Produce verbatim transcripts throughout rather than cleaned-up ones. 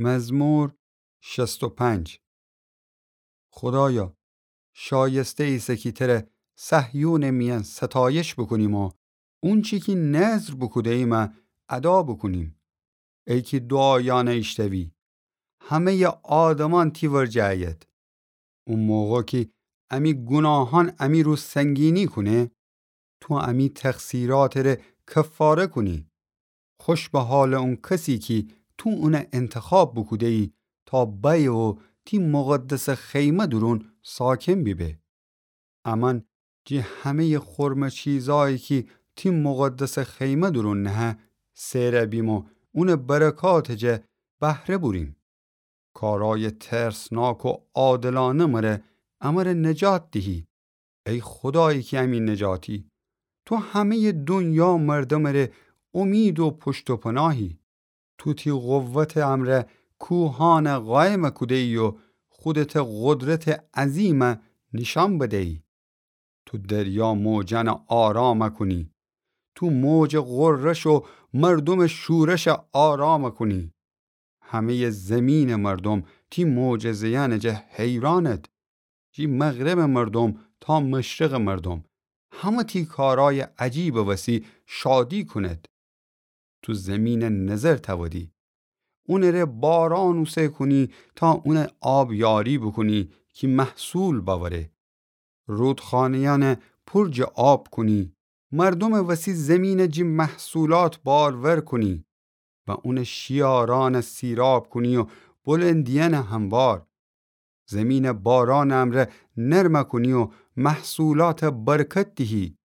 مزمور شصت و پنج. خودایا، شایسته ایسه کی تره صهیونٚ میأن ستایش بوکونیم و اونچی کی نذر بوکوده‌ییمه ادا بوکونیم. ای کی دوعایأنه ایشتوی، همه‌یٚ آدمأن تی ورجه ایید. او موقع کی امی گوناهأن امی رو سنگینی کونه، تو امی تقصیراتٚ ره کفاره کونی. خوش به حالٚ اون کسی کی تو اونه انتخاب بوکوده‌یی تا بأیه و تی مقدسٚ خیمه دورون ساکن بیبه. امأن جٚه همه‌یٚ خرمه چیزأیی کی تی مقدسٚ خیمه دورون نهه، سئر بیم و اونٚ برکاتٚ جا بهره بوریم. کارأیٚ ترسناک و عادلأنه مره، امره نجات دیهی. ای خودایی کی امی نجاتی، تو همه‌یٚ دونیا مردمٚ ره امید و پشت و پناهی. تو تی قوتٚ امرأ کوهأنه قایم کوده‌یی و خودتٚ قدرتٚ عظیمه نیشأن بده‌یی. تو دریا موجأنه آرام کونی. تو موجٚ غرش و مردومٚ شورش آرام کونی. همه‌یٚ زیمینٚ مردوم تی معجزه‌یأنٚ جا حیرأنٚد. جٚه مغربٚ مردوم تا مشرقٚ مردوم، همه تی کارأیٚ عجیبٚ وسی شادی کونید. تو زیمینٚ نظر تأودی. اونٚ ره بارأن اوسه کونی تا اونه آبیاری بوکونی کی محصول بأوره. رودخانه‌یأنه پور جٚه آب کونی. مردومٚ وسی زیمینه جٚه محصولات بارور کونی و اونٚ شیارأنه سیراب کونی و بلندیأنه هموار. زیمینه بارأنٚ امرأ نرم کونی و محصولاته برکت دیهی.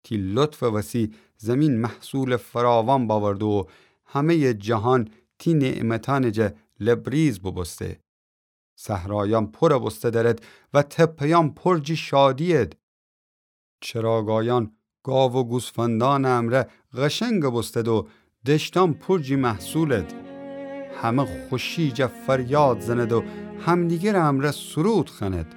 تی لطفٚ وسی زیمین محصولٚ فراوان بأورده و همه‌یٚ جهان تی نعمتأنٚ جا لبریز بوبوسته. صحرایأن پور بوسته درد و تپه‌یأن پور جٚه شادی‌ید. چراگایأن گاو و گوسفندأنٚ امرأ قشنگ بوستد و دشتأن پور جٚه محصولد. همه خوشی جا فریاد زند و همدیگرٚ امرأ سرود خوأند.